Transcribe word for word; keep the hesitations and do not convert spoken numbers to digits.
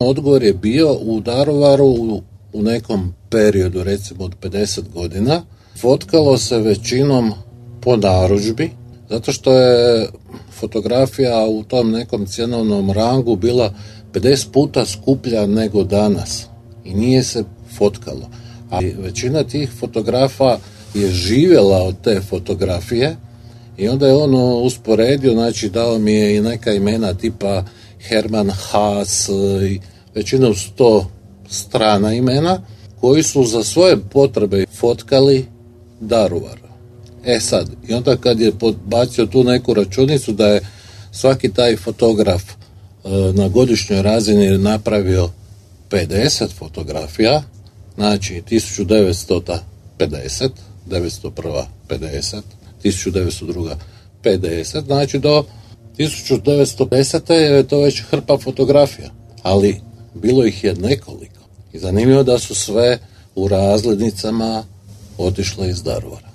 odgovor je bio u Daruvaru u, u nekom periodu, recimo od pedeset godina, fotkalo se većinom po narudžbi, zato što je fotografija u tom nekom cjenovnom rangu bila pedeset puta skuplja nego danas i nije se fotkalo. A većina tih fotografa je živjela od te fotografije i onda je on usporedio, znači dao mi je i neka imena tipa Herman Haas i većinom sto strana imena koji su za svoje potrebe fotkali Daruvar. E sad, i onda kad je podbacio tu neku računicu da je svaki taj fotograf e, na godišnjoj razini napravio pedeset fotografija, znači tisuću devetsto pedeset, devetsto jedan pedeset, tisuću devetsto dva pedeset, znači do tisuću devetsto pedeset je to već hrpa fotografija, ali bilo ih je nekoliko. I zanimljivo da su sve u razglednicama otišle iz Daruvara.